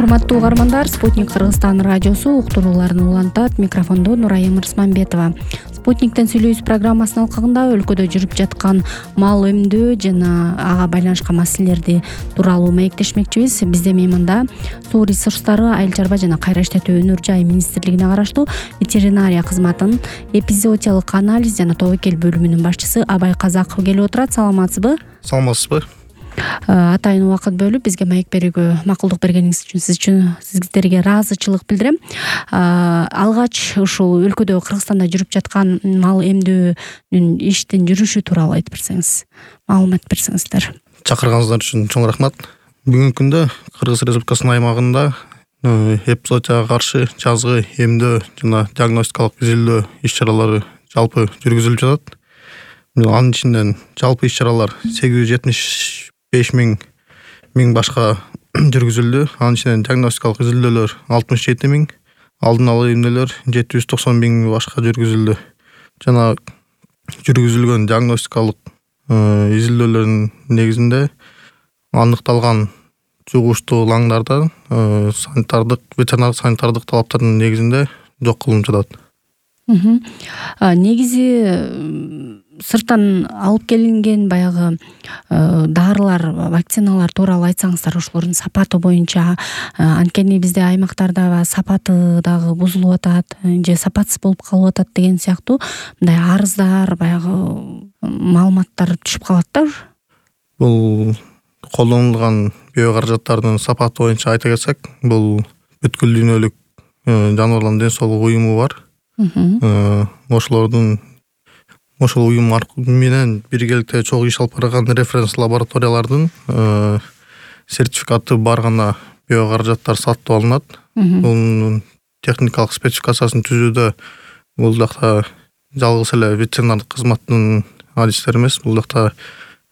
Урматтуу угармандар, Спутник Кыргызстан радиосу уктурууларын улантат. Микрофондо Нурайым Рысманбетова. Спутниктен сүйлөйбүз программасынын алкагында өлкөдө жүрүп жаткан мал эмдөө жана ага байланышкан маселелерди тууралуу маектешмекчибиз. Бизде мейманда суу ресурстары, айыл чарба жана кайра иштетүү өнөр жай министрлигине караштуу ветеринария кызматынын эпизоотиялык анализ жана тобокел бөлүмүнүн башчысы Абай Казаков келип отурат. Саламатсызбы? Саламатсызбы? Атайын убакыт бөлүп бизге маек берүүгө макулдук бергениңиз үчүн сиздерге ыраазычылык билдирем. Алгач ушул өлкөдө Кыргызстанда жүрүп жаткан мал эмдөөнүн иштин жүрүшү тууралуу айтып берсеңиз, маалымат берсеңиздер. Чакырганыңыздар үчүн чоң рахмат. Бүгүнкү күндө Кыргыз Республикасынын аймагында эпизоотияга каршы жазгы эмдөө жана диагностикалык изилдөө иш-чаралары жалпы жүргүзүлүп жатат. Анын ичинен жалпы иш-чаралар 875 миң башка жүргүзүлдү. Анын ичинен диагностикалык изилдөөлөр 67 миң, алдын ала эмнелер 790 миң башка жүргүзүлдү. Жана жүргүзүлгөн диагностикалык изилдөөлөрдүн негизинде аныкталган жугуштуу лаңдарда ветеринардык санитардык талаптардын негизинде жок кылынып жатат. Негизи сырттан алып келинген баягы дарылар, вакциналар тууралуу айтсаңыздар, ошолордун сапаты боюнча, анткени бизде аймактарда сапаты дагы бузулуп атат же сапатсыз болуп калып атат деген сыяктуу мындай арыздар, баягы маалыматтар түшүп калат да. Бул колдонулган био каражаттардын сапаты боюнча айта кетсек, бул бүткүл дүйнөлүк жаныбарлардын ден соолугу уюму бар. Ошол уюм менен биргеликте чогуу иш алып барган референс лабораториялардын сертификаты бар гана био каражаттар сатып алынат. Бунун техникалык спецификациясын түзүүдө бул жакта жалгыз эле ветеринардык кызматтын адистери эмес, бул жакта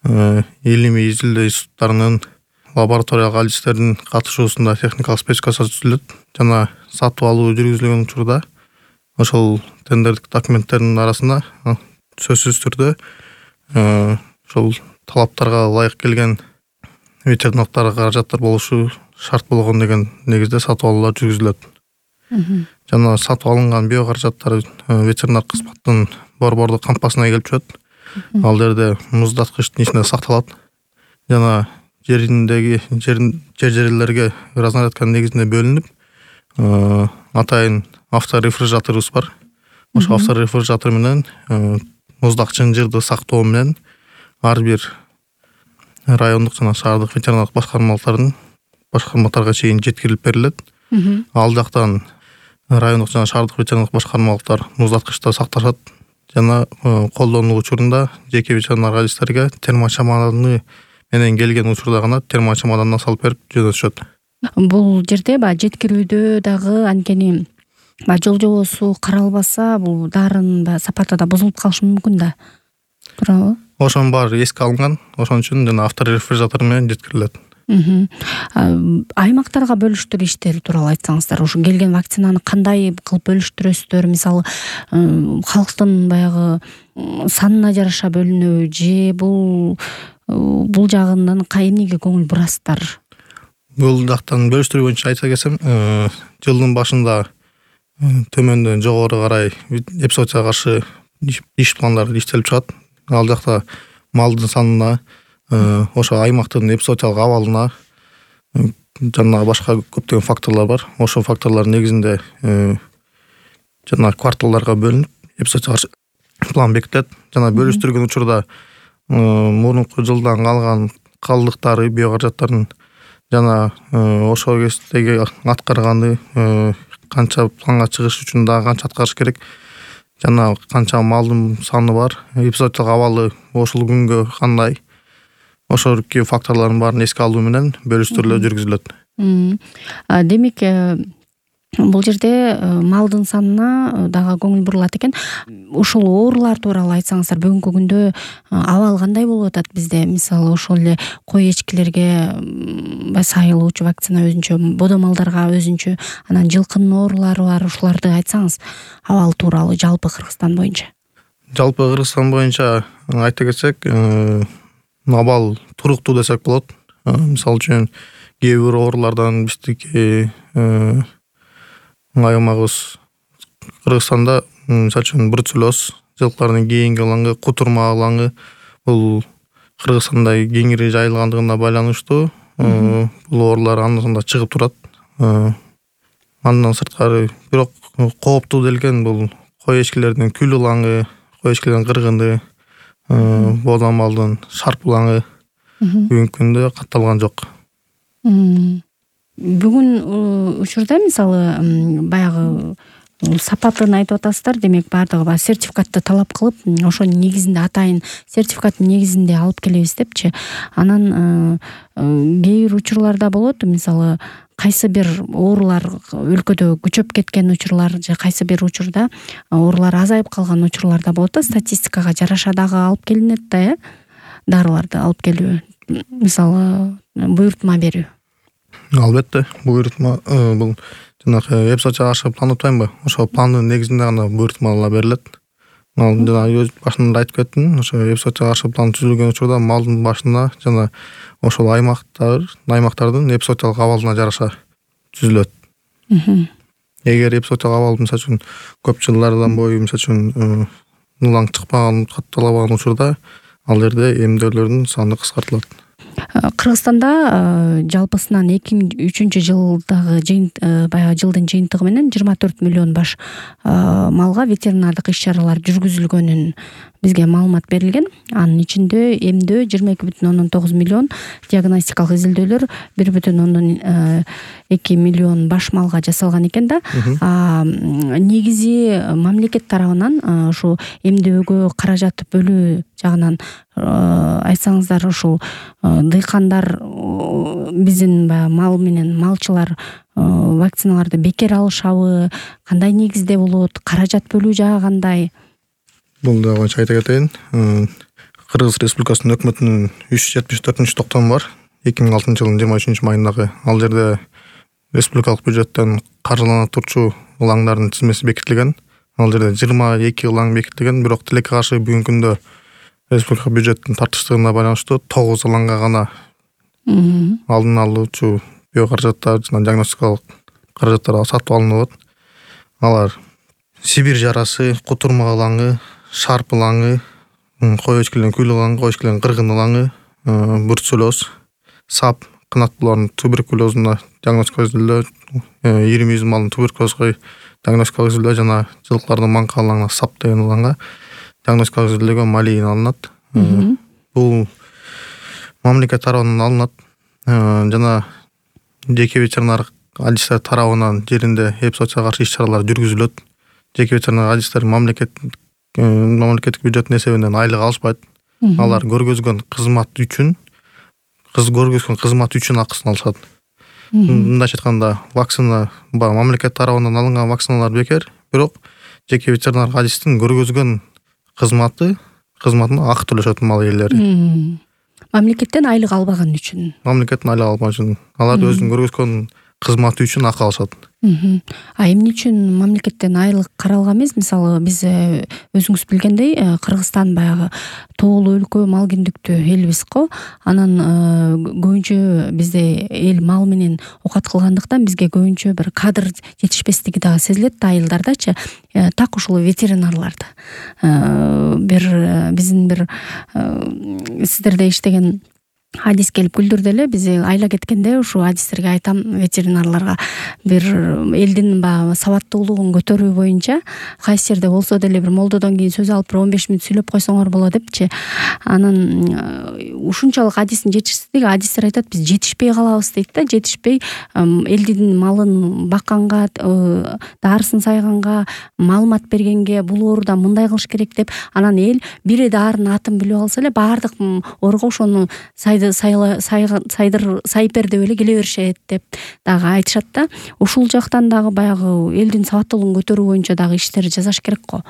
илимий изилдөө институттарынын лабораториялык адистердин катышуусунда техникалык спецификация түзүлөт жана сатып алуу жүргүзүлгөн учурда ошол тендердик документтердин арасында сөзсүз түрдө ошол талаптарга ылайык келген ветеринардык каражаттар болушу шарт болгон деген негизде сатып алуулар жүргүзүлөт. Жана сатып алынган био каражаттар ветеринар кызматтын борбордук кампасына келип түшөт. Ал жерде муздаткычтын ичинде сакталат жана жерлерге разнарядка негизинде бөлүнүп, атайын авторефрижераторубуз бар. Ошол авторефрижератор менен муздакчын жырды сактоо менен ар бир райондук жана шаардык ветеринардык башкармаларга чейин жеткирилип берилет. Ал жактан райондук жана шаардык ветеринардык башкармалыктар муздаткычта сакташат жана колдонуу учурунда жеке ветеринар адистерге термочаманы менен келген учурда гана термочамадандан салып берип жөнөтүшөт. Бул жерде жеткирүүдө дагы анткени жол жобосу каралбаса, бул дарынын сапаты да бузулуп калышы мүмкүн да. Туурабы? Ошонун баары эске алынган. Ошон үчүн жана авторефрижератор менен жеткирилет. Аймактарга бөлүштүрүү иштери тууралуу айтсаңыздар, ушу келген вакцинаны кандай кылып бөлүштүрөсүздөр? Мисалы, халктын баягы санына жараша бөлүнөбү же бул жагынан эмнеге көңүл бурасыздар? Бул жактан бөлүштүрүү боюнча айта кетсем, жылдын башында төмөндөн жогору карай эпизоотияга каршы иш пландары иштелип чыгат. Ал жакта малдын санына, ошо аймактын эпизоотиялык абалына жана башка көптөгөн факторлор бар. Ошол факторлор негизинде жана кварталдарга бөлүнүп эпизоотияга каршы план бекитилет. Жана бөлүштүргөн учурда мурунку жылдан калган калдыктары, био каражаттардын жана ошол кездеги аткарганы, канча планга чыгыш үчүн дагы канча аткарыш керек жана канча малдын саны бар, эпизоотиялык абалы ошол күнгө кандай, ошол факторлордун баарын эске алуу менен бөлүштүрүүлөр жүргүзүлөт. Демек, бул жерде малдын санына дагы көңүл бурулат экен. Ушул оорулар тууралуу айтсаңыздар, бүгүнкү күндө абал кандай болуп атат бизде? Мисалы, ошол эле кой эчкилерге сайылуучу вакцина өзүнчө, бодо малдарга өзүнчө, анан жылкынын оорулары бар, ушуларды айтсаңыз, абал тууралуу жалпы Кыргызстан боюнча. Жалпы Кыргызстан боюнча айта кетсек, абал туруктуу десек болот. Мисалы үчүн кээ бир оорулардан биздики аймагыбыз Кыргызстанда мисалы үчүн бруцеллез, жылкылардын кийинки ылаңы, кутурма ылаңы бул Кыргызстанда кеңири жайылгандыгына байланыштуу бул оорулар анда-санда чыгып турат. Андан сырткары бирок кооптуу делген бул кой эчкилердин күл ылаңы, кой эчкилердин кыргыны, боодамалдын шарп ылаңы бүгүнкү күндө катталган жок. Бүгүн учурда мисалы баягы сапатын айтып атасыздар, демек баардыгы сертификатты талап кылып, ошонун негизинде атайын сертификаттын негизинде алып келебиз депчи. Анан кээ бир учурларда болот, мисалы кайсы бир оорулар өлкөдө күчөп кеткен учурлар же кайсы бир учурда оорулар азайып калган учурлар да болот да, статистикага жараша дагы алып келинет да, дарыларды алып келүү, мисалы буйртма берүү. Албетте, буйртма бул жанагы эпсо чыгарышы план атпайбы? Ошол пландын негизинде гана буйртмалар берилет. Ал жана өз башында айтып кеттим, ошо эпсо чыгарышы план түзүлгөн учурда малдын башына жана ошол аймактардын эпизоотиялык абалына жараша түзүлөт. Эгер эпизоотиялык абал мисалы үчүн көп жылдардан бою мисалы үчүн ылаң чыкпаган, катталбаган учурда ал жерде эмдөөлөрдүн саны кыскартылат. Кыргызстанда жалпысынан 2003 жылдагы баягы жылдын жыйынтыгы менен 24 миллион баш малга ветеринардык иш-чаралар жүргүзүлгөнүн бизге маалымат берилген. Анын ичинде эмдөө 22,9 миллион, диагностикалык изилдөөлөр 1,2 миллион баш малга жасалган экен да. Негизи мамлекет тарабынан ушу эмдөөгө каражат бөлүү жагынан айтсаңыздар, ушул дыйкандар биздин мал менен малчылар вакциналарды бекер алышабы, кандай негизде болот, каражат бөлүү жагы кандай? Бул да боюнча айта кетейин. Кыргыз Республикасынын өкмөтүнүн 374-токтому бар. 2006 жылдын 23 майындагы. Ал жерде республикалык бюджеттен каржылана турчу ылаңдардын тизмеси бекитилген. Ал жерде 22 ылаң бекитилген, бирок тилекке каршы бүгүнкү күндө республика бюджеттин тартыштыгына байланыштуу 9 ылаңга гана алдын алуучу биокаражаттар жана диагностикалык каражаттар сатып алынып атат. Алар Сибирь жарасы, кутурма ылаңы, шарп ылаңы, кой эчкилердин күл ылаңы, кой эчкилердин кыргын ылаңы, бруцеллез, сап, кынат булардын туберкулезуна диагностикалык изилдөө, 20 малдын туберкулезге диагностикалык изилдөө жана жылкылардын маңка ылаңына сап деген ылаңга диагностикалык изилдөөгө малийин алынат. Бул мамлекет тарабынан алынат жана жеке ветеринар адистер тарабынан жеринде эпизоотияга каршы иш-чаралар жүргүзүлөт. Жеке ветеринар адистер мамлекеттик бюджеттин эсебинен айлык алышпайт. Алар көргөзгөн кызмат үчүн акысын алышат. Мындайча айтканда, вакцина мамлекет тарабынан алынган вакциналар бекер, бирок жеке ветеринар адистин көргөзгөн кызматына акы төлөшөт мал ээлери. Мамлекеттен айлык албаган үчүн. Мамлекеттен айлык албаган үчүн. Алар өзүнүн көргөзгөн кызматы үчүн акы алышат. Эмне үчүн мамлекеттен айлык каралган эмес? Мисалы биз өзүңүз билгендей, Кыргызстан баягы тоолуу өлкө, мал киндиктүү элбиз го. Анан көбүнчө бизде эл мал менен оокат кылгандыктан бизге көбүнчө бир кадр жетишпестиги дагы сезилет да, айылдардачы. Так ушул ветеринарларды биздин бир сиздерде иштеген адис келип күлдүрдү эле. Биз айла кеткенде ушу адистерге айтам, ветеринарларга бир элдин сабаттуулугун көтөрүү боюнча кайсы жерде болсо деле бир молдодон кийин сөз алып 15 мүнөт сүйлөп койсоңор болот депчи. Анан ушунчалык адистин жетишсиздиги, адистер айтат, биз жетишпей калабыз дейт да. Жетишпей элдин малын бакканга, дарысын сайганга, маалымат бергенге, бул оорудан мындай кылыш керек деп, анан эл бири дарынын атын билип алса эле баардык ооруга ошону сайпер деп эле келе беришет деп дагы айтышат да. Ушул жактан дагы баягы элдин сабаттуулугун көтөрүү боюнча дагы иштер жасаш керек го.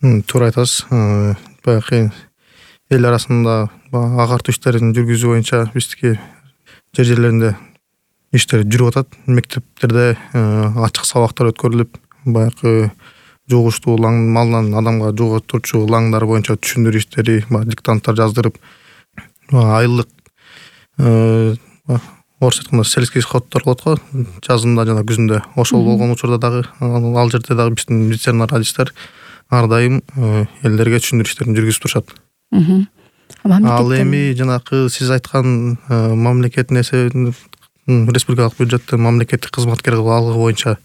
Туура айтасыз. Баягы эл арасында агартуу иштерин жүргүзүү боюнча биздики жерлеринде иштер жүрүп атат. Мектептерде ачык сабактар өткөрүлүп, баягы жугуштуу малдан адамга жугутурчу ылаңдар боюнча түшүндүрүү иштери, диктанттар жаздырып, айлык орусча айтканда сельский сходдор болот го, жазында жана күзүндө. Ошол болгон учурда дагы ал жерде дагы биздин ветеринар врачтар ар дайым элдерге түшүндүрүү иштерин жүргүзүп турушат. Ал эми жанакы сиз айткан мамлекеттин эсебинен республикалык бюджеттен мамлекеттик кызматкер кылып алгы боюнча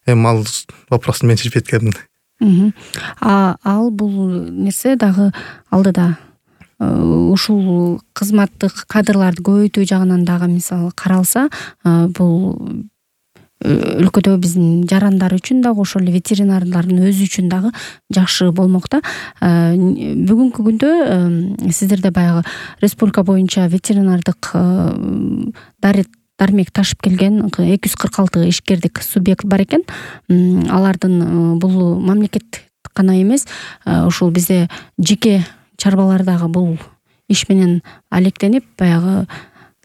эми ал вопросту мен чечип кеткенмин. Ал бул нерсе дагы алдыда ушул кызматтык кадрларды көбөйтүү жагынан дагы мисалы каралса, бул өлкөдө биздин жарандар үчүн дагы ошол эле ветеринарлардын өзү үчүн дагы жакшы болмок да. Бүгүнкү күндө сиздерде баягы республика боюнча ветеринардык дармек ташып келген 246 ишкердик субъект бар экен. Алардын бул мамлекеттик гана эмес, ушул бизде жеке чарбалар дагы бул иш менен алектенип баягы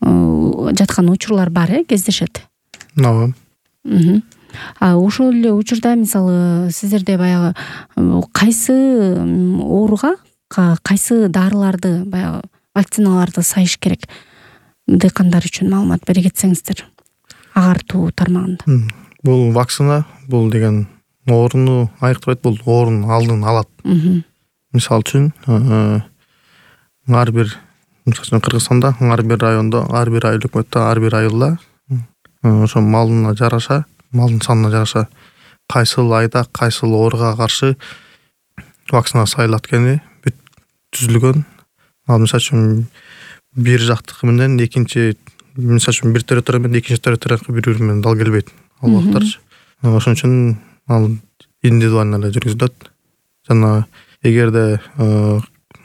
жаткан учурлар бар, кездешет. Ошол эле учурда мисалы сиздерде баягы кайсы ооруга кайсы дарыларды баягы вакциналарды сайыш керек? Дыйкандар үчүн маалымат бере кетсеңиздер, агартуу тармагында. Бул вакцина, бул деген ооруну айыктабайт, бул оорунун алдын алат. Мисалы үчүн ар бир Кыргызстанда, ар бир райондо, ар бир айыл өкмөттө, ар бир айылда ошо малына жараша, малдын санына жараша кайсыл айда кайсыл ооруга каршы вакцина сайылат экени түзүлгөн. Ал мисалы үчүн бир жактыкы менен экинчи, мисалы үчүн бир территория менен экинчи территория бири-бири менен дал келбейт ал убактарчы. Ошон үчүн ал индивидуально эле жүргүзүлөт. Жана эгерде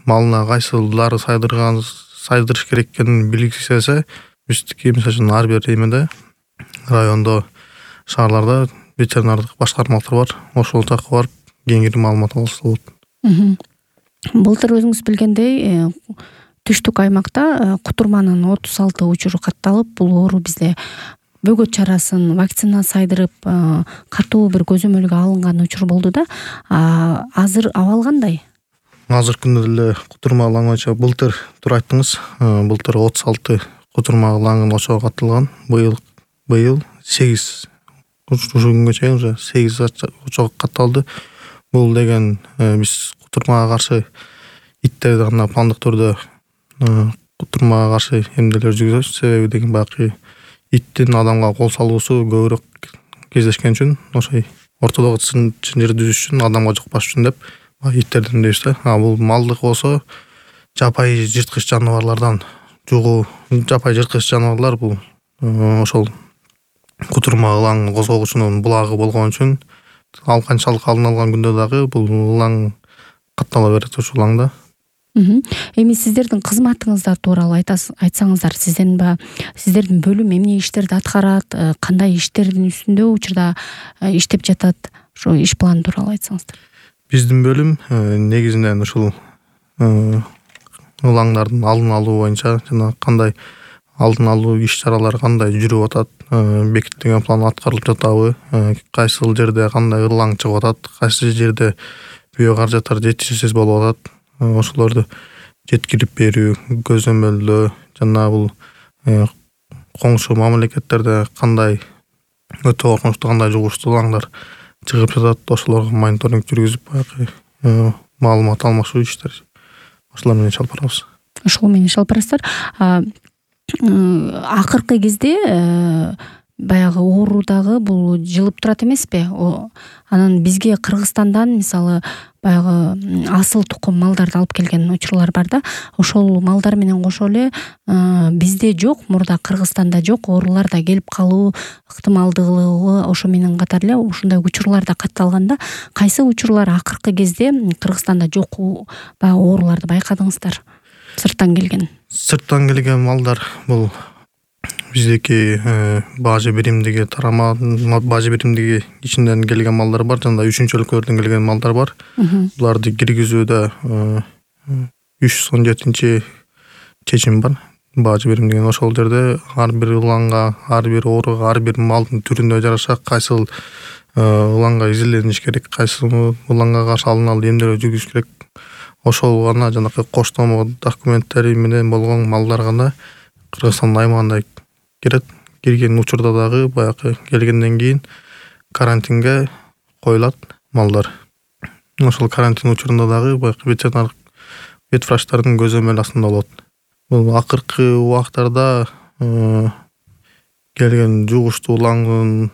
малына кайсыл дары сайдырыш керек экенин билгисе, биздики мисалы үчүн ар бир эмеде райондо, шаарларда ветеринардык башкармалар бар. Ошол жакка барып кеңири маалымат алса болот. Былтыр өзүңүз билгендей түштүк аймакта кутурманын 36 учуру катталып, бул оору бизде бөгөт чарасын вакцина сайдырып катуу бир көзөмөлгө алынган учур болду да. Азыр абал кандай? Азыркы күндө деле кутурма алаңыча былтыр туура айттыңыз. Былтыр 36 кутурма алаңын ошого катталган. Быйыл 8 ушул күнгө чейин уже 8 ошого катталды. Бул деген биз кутурмага каршы иттерди гана пландык түрдө кутурмага каршы эмделер жүргүзөбүз. Себеби деген баягы иттин адамга кол салуусу көбүрөөк кездешкен үчүн, ошой ортодогу чынжыр түзүш үчүн, адамга жукпаш үчүн деп иттерден дейбиз да. Бул малдык болсо жапайы жырткыч жаныбарлардан жугуу, жапайы жырткыч жаныбарлар бул ошол кутурма ылаң козгогучунун булагы болгон үчүн ал канчалык алдын алган күндө дагы бул ылаң каттала берет ушул ылаңда. Эми сиздердин кызматыңыздар тууралуу айтсаңыздар, сиздердин бөлүм эмне иштерди аткарат, кандай иштердин үстүндө учурда иштеп жатат, ошо иш планы тууралуу айтсаңыздар. Биздин бөлүм негизинен ушул ылаңдардын алдын алуу боюнча жана кандай алдын алуу иш-чаралары кандай жүрүп атат, бекитилген план аткарылып жатабы, кайсыл жерде кандай ылаң чыгып атат, кайсы жерде биокаражаттар жетишсиз болуп атат, ошолорду жеткирип берүү, көзөмөлдөө жана бул коңшу мамлекеттерде кандай өтө коркунучтуу, кандай жугуштуу ылаңдар чыгып жатат, ошолорго мониторинг жүргүзүп баягы маалымат алмашуу иштер ошолор менен иш алып барабыз. Ошол менен иш алып барасыздар. Акыркы кезде баягы оору дагы бул жылып турат эмеспи? Анан бизге Кыргызстандан мисалы баягы асыл тукум малдарды алып келген учурлар бар да. Ошол малдар менен кошо эле бизде жок, мурда Кыргызстанда жок оорулар да келип калуу ыктымалдуулугу ошо менен катар эле ушундай учурлар да катталган да. Кайсы учурлар акыркы кезде Кыргызстанда жок баягы ооруларды байкадыңыздар? Сырттан келген малдар бул биздики бажы биримдиги тарама, бажы биримдиги ичинден келген малдар бар, жана 3-чү өлкөлөрдөн келген малдар бар. Буларды киргизүүдө 317 чечим бар. Бажы бирим деген ошол жерде ар бир ылаңга, ар бир ооруга, ар бир малдын түрүнө жараша кайсыл ылаңга изилдениш керек, кайсыл ылаңга каршы алдын алуу эмделер жүргүзүш керек. Ошол гана жанакы коштомо документтери менен болгон малдар гана Кыргызстандын аймагында кирет. Кирген учурда дагы баягы келгенден кийин карантинге коюлат малдар. Ошол карантин учурунда дагы баягы ветеринар ветврачтардын көзөмөл астында болот. Бул акыркы убактарда келген жугуштуу улаңдын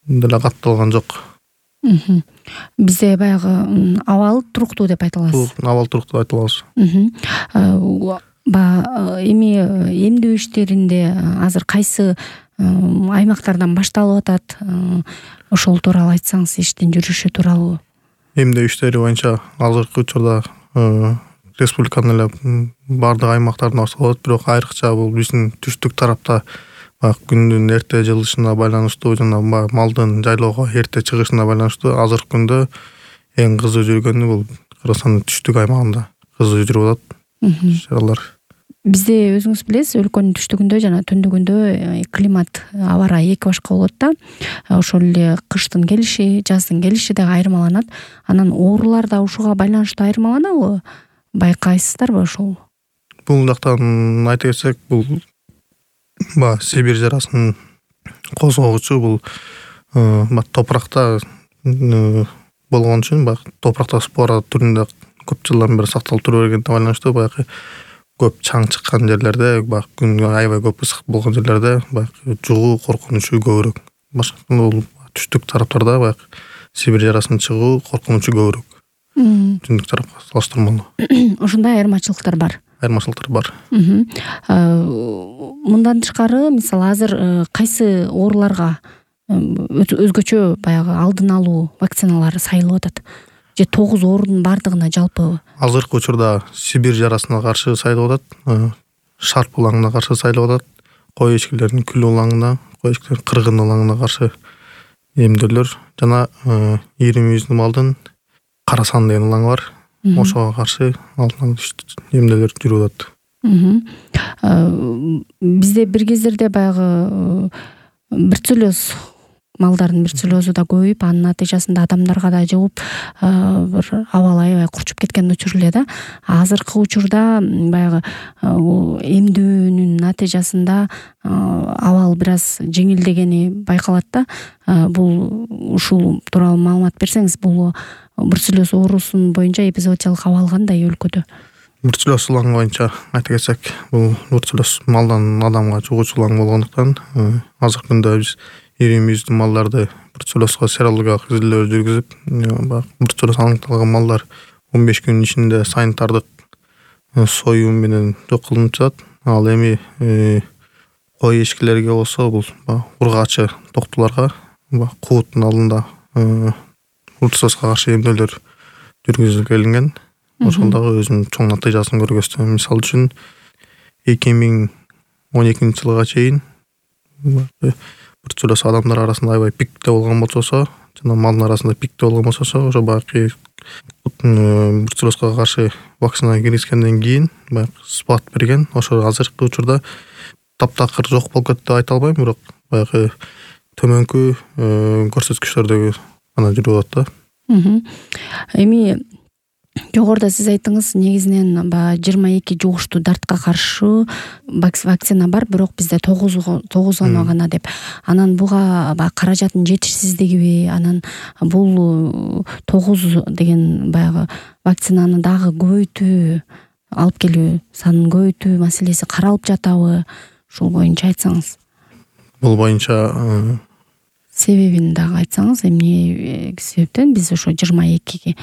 деле катталган жок. Бизде баягы абал туруктуу деп айта аласыз. Абал туруктуу деп айта алабыз. Эми эмдөө иштеринде азыр кайсы аймактардан башталып атат? Ошол тууралуу айтсаңыз, иштин жүрүшү тууралуу. Эмдөө иштери боюнча азыркы учурда республиканын эле бардык аймактарында башталып атат, бирок айрыкча бул биздин түштүк тарапта күндүн эрте жылышына байланыштуу жана малдын жайлоого эрте чыгышына байланыштуу азыркы күндө эң кызуу жүргөнү бул Кыргызстандын түштүк аймагында кызуу жүрүп атат чаралар. Бизде өзүңүз билесиз, өлкөнүн түштүгүндө жана түндүгүндө климат, аба ырайы эки башка болот да. Ошол эле кыштын келиши, жаздын келиши дагы айырмаланат. Анан оорулар да ушуга байланыштуу айырмаланабы? Байкайсыздарбы ошол? Бул жактан айта кетсек, бул Сибирь жарасынын козгогучу бул топуракта болгон үчүн топуракта спора түрүндө көп жылдан бери сакталып тура бергендине байланыштуу баягы көп чаң чыккан жерлерде, күн аябай көп ысык болгон жерлерде жугуу коркунучу көбүрөөк. Башка бул түштүк тараптарда баягы Сибирь жарасынын чыгуу коркунучу көбүрөөк. Түндүк тарапка салыштырмалуу. Ошондой айырмачылыктар бар. Мындан тышкары, мисалы азыр кайсы ооруларга өзгөчө баягы алдын алуу вакциналары сайылып атат? Же 9 оорунун бардыгына жалпы? Азыркы учурда Сибирь жарасына каршы сайылып атат, шарп улаңына каршы сайылып атат, кой эчкилеринин күл улаңына, кой эчкилеринин кыргын улаңына каршы эмдөөлөр жана 20 малдын карасан деген улаңы бар. Ошого каршы алдын эмдөөлөр жүрүп атат. Бизде бир кездерде баягы бруцеллез малдардын бруцеллезу да көбөйүп, анын натыйжасында адамдарга да жугуп, бир абал аябай курчуп кеткен учур эле да. Азыркы учурда баягы эмдөөнүн натыйжасында абал бир аз жеңилдегени байкалат да. Бул ушул тууралуу маалымат берсеңиз, бул бруцеллез оорусунун боюнча эпизоотиялык абал кандай өлкөдө? Бруцеллез улаңы боюнча айта кетсек, бул бруцеллез малдан адамга жугуучу улаң болгондуктан азыркы күндө биз 20 малдарды бруцеллезго серологиялык изилдөө жүргүзүп, бруцеллез аныкталган малдар 15 күн ичинде санитардык союм менен жок кылынып жатат. Ал эми кой эчкилерге болсо бул ургаачы токтуларга кууттун алдында бруцеллезго каршы эмдөөлөр жүргүзүлгөн. Ошол дагы өзүнүн чоң натыйжасын көргөздү. Мисалы үчүн 2012 жылга чейин бруцеллез адамдар арасында аябай пикте болгон болсо, жана малдын арасында пикте болгон болсо, ошо баягы бруцеллезго каршы вакцина киргизгенден кийин баягы спад берген. Ошо азыркы учурда таптакыр жок болуп кетти деп айта албайм, бирок баягы төмөнкү көрсөткүчтөрдөгү гана жүрүп атат да. Эми жогоруда сиз айттыңыз, негизинен 22 жугуштуу дартка каршы вакцина бар, бирок бизде 9 гана деп. Анан буга каражаттын жетишсиздигиби, анан бул 9 деген баягы вакцинаны дагы көбөйтүү, алып келүү санын көбөйтүү маселеси каралып жатабы? Ушул боюнча айтсаңыз. Бул боюнча себебин дагы айтсаңыз, эмне себептен биз ошо 22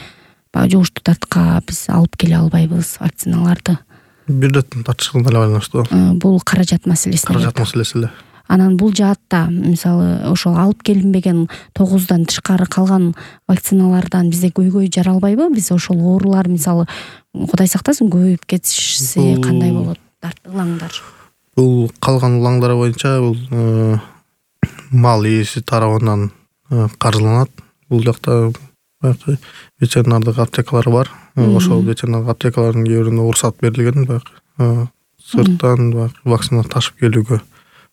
жугуштуу дартка биз алып келе албайбыз вакциналарды? Бир реттен тартышкан эле байланыштуу. Бул каражат маселеси. Каражат маселеси эле. Анан бул жаатта, мисалы, ошол алып келинбеген 9дан тышкары калган вакциналардан бизде көйгөй жаралбайбы? Биз ошол оорулар, мисалы, Кудай сактасын, көбөйүп кетишсе кандай болот? Улаңдар. Бул калган улаңдар боюнча бул мал ээси тарабынан каржыланат. Бул жакта ветеринардык аптекалар бар. Ошол ветеринардык аптекалардын кээ биринде уруксат берилген, сырттан вакцина ташып келүүгө.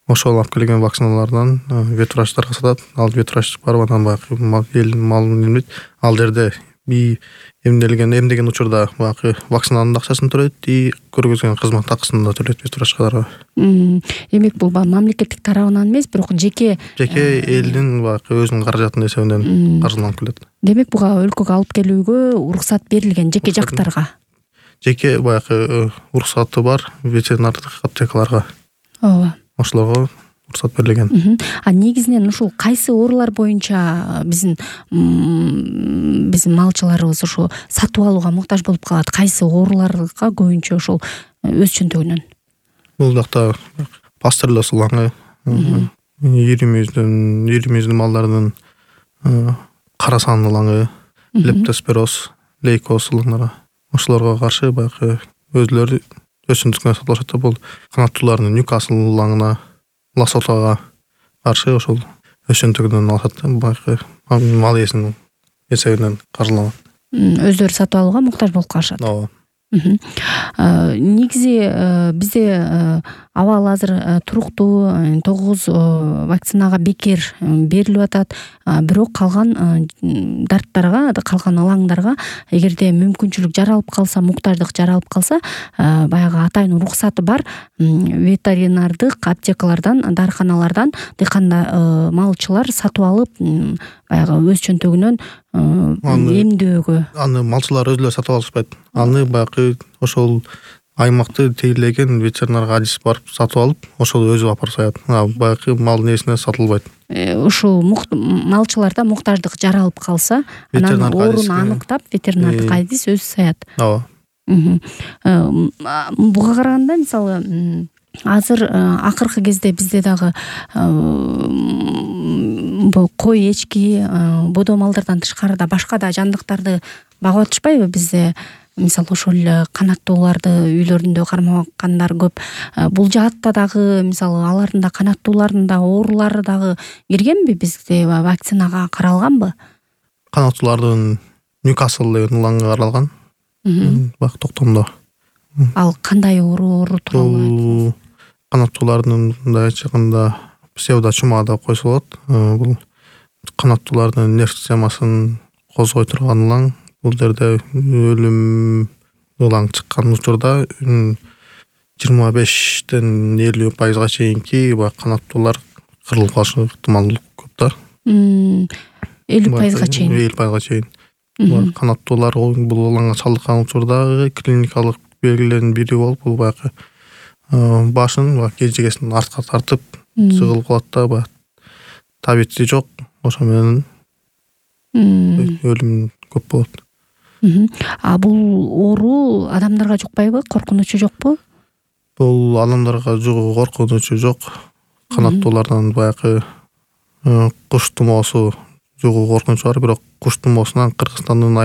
Ошол алып келген вакциналардан ветврачтарга сатат. Ал ветврач барып анан элдин малын эмдейт. Ал жерде эмдеген учурда баягы вакцинанын акчасын төлөйт и көргөзгөн кызмат акысын да төлөйт ветврачкаларга. Демек бул мамлекеттик тарабынан эмес, бирок жеке элдин баягы өзүнүн каражатынын эсебинен каржыланып келет. Демек буга өлкөгө алып келүүгө уруксат берилген жеке жактарга. Жеке баягы уруксаты бар ветеринардык аптекаларга. Ооба. Ошолорго уруксат берилген. Негизинен ушул кайсы оорулар боюнча биздин малчыларыбыз ушу сатып алууга муктаж болуп калат? Кайсы ооруларга көбүнчө ушул өз чөнтөгүнөн? Бул жакта пастерлоз улаңы, ири мүйүздүү малдардын кара сан улаңы, лептоспироз, лейкоз улаңдары. Ошолорго каршы баягы өзлөрү өсүмдүктөн сатып алышат. Бул канаттуулардын Ньюкасл улаңына, ласотага каршы ошол өз чөнтөгүнөн алышат. Баягы мал ээсинин эсебинен каржыланат. Өздөрү сатып алууга муктаж болуп калышат. Ооба. Негизи бизде абал азыр туруктуу 9 вакцинага бекер берилип атат. Бирок калган дарттарга, калган ылаңдарга эгерде мүмкүнчүлүк жаралып калса, муктаждык жаралып калса, баягы атайын уруксаты бар ветеринардык аптекалардан, дарыканалардан малчылар сатып алып, баягы өз чөнтөгүнөн эмдөөгө. Аны малчылар өзүлөрү сатып алышпайт. Аны баягы ошол аймакты тейлеген ветеринар адис барып сатып алып, ошол өзү апарып саят. Баягы малдын ээсине сатылбайт. Ушул малчыларда муктаждык жаралып калса, анан оорун аныктап, ветеринардык адис өзү саят. Ооба. Буга караганда мисалы азыр акыркы кезде бизде дагы кой, эчки, бодо малдардан тышкарыда башка да жандыктарды багып атышпайбы бизде? Мисалы ошол канаттууларды үйлөрүндө кармагандар көп. Бул жаатта дагы мисалы алардын да канаттуулардын да оорулары дагы киргенби, бизде вакцинага каралганбы? Канаттуулардын Ньюкасл деген улаңга каралган. Бак токтомдо. Ал кандай оору тууралуу? Канаттуулардын мындай айтканда псевдочума деп койсо болот. Бул канаттуулардын нерв системасын козгой турган улаң. Бул жерде өлүм улаң чыккан учурда 25-50% чейинки канаттуулар кырылып калышы ыктымалдуулук көп да. 50% чейин. 50% чейин. Канаттуулар бул улаңга чалдыккан учурда клиникалык белгилердин бири болуп, бул баягы башын кежегесин артка тартып сыгылып калат да, табити жок, ошо менен өлүм көп болот. Бул оору адамдарга жукпайбы? Коркунучу жокпу? Бул адамдарга коркунучу жок. Канаттуулардан баягы куш тумоосу жугуу коркунучу бар, бирок куш тумоосунан Кыргызстандын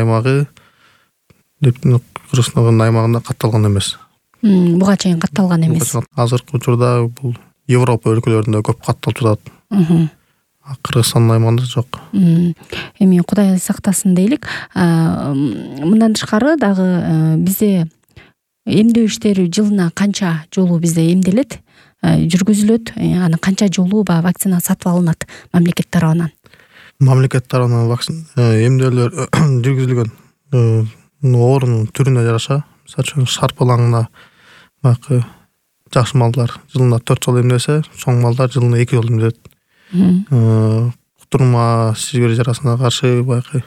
аймагында катталган эмес. Буга чейин катталган эмес. Азыркы учурда бул Европа өлкөлөрүндө көп катталып жатат. Кыргызстандын аймагында жок. Эми Кудай сактасын дейлик. Мындан тышкары дагы бизде эмдөө иштери жылына канча жолу бизде эмделет, жүргүзүлөт, аны канча жолу вакцина сатып алынат мамлекет тарабынан? Мамлекет тарабынан эмдөөлөр жүргүзүлгөн оорунун түрүнө жараша, мисалы үчүн шарп улаңына баягы жаш малдар жылына 4 жолу эмделсе, чоң малдар жылына 2 жолу эмделет. Кутурма сибир жарасына каршы баягы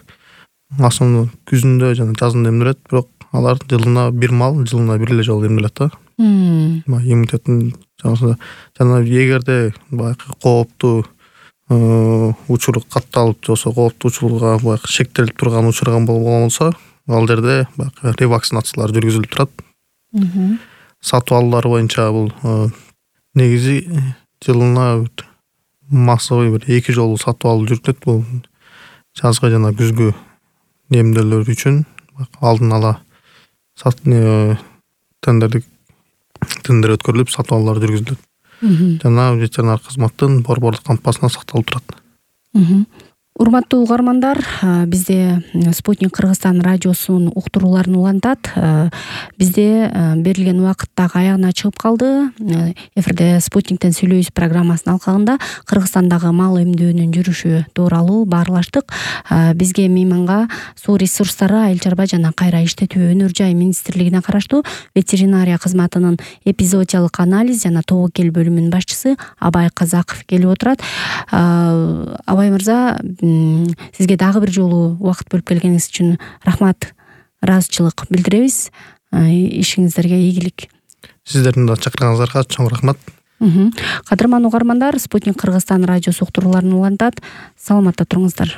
асыл күзүндө жана жазында эмделет, бирок алар жылына бир мал жылына бир эле жолу эмделет да. Иммунитеттин жана эгерде баягы кооптуу учур катталып жосо, кооптуу учурга баягы шектелип турган учурган болсо, ал жерде баягы ревакцинациялар жүргүзүлүп турат. Сатып алуулар боюнча бул негизи жылына массовый 2 жолу сатып алуу жүргүзүлөт. Бул жазгы жана күзгү эмдөөлөр үчүн алдын ала тендер өткөрүлүп сатып алуулар жүргүзүлөт. Жана ветеринар кызматтын борбордук кампасына сакталып турат. Урматтуу угармандар, бизде Спутник Кыргызстан радиосунун уктурууларын улантат. Бизде берилген убакыт дагы аягына чыгып калды. Эфирде Спутниктен сүйлөйбүз программасынын алкагында Кыргызстандагы мал эмдөөнүн жүрүшү тууралуу баарлаштык. Бизге мейманга суу ресурстары, айыл чарба жана кайра иштетүү өнөр жай министрлигине караштуу ветеринария кызматынын эпизоотиялык анализ жана тобокел бөлүмүнүн башчысы Абай Казаков келип отурат. Абай мырза, сизге дагы бир жолу убакыт бөлүп келгениңиз үчүн рахмат, ыраазычылык билдиребиз. Ишиңиздерге ийгилик. Сиздердин да чакырганыңыздарга чоң рахмат. Кадырман угармандар, Спутник Кыргызстан радиосу уктурууларын улантат. Саламатта туруңуздар.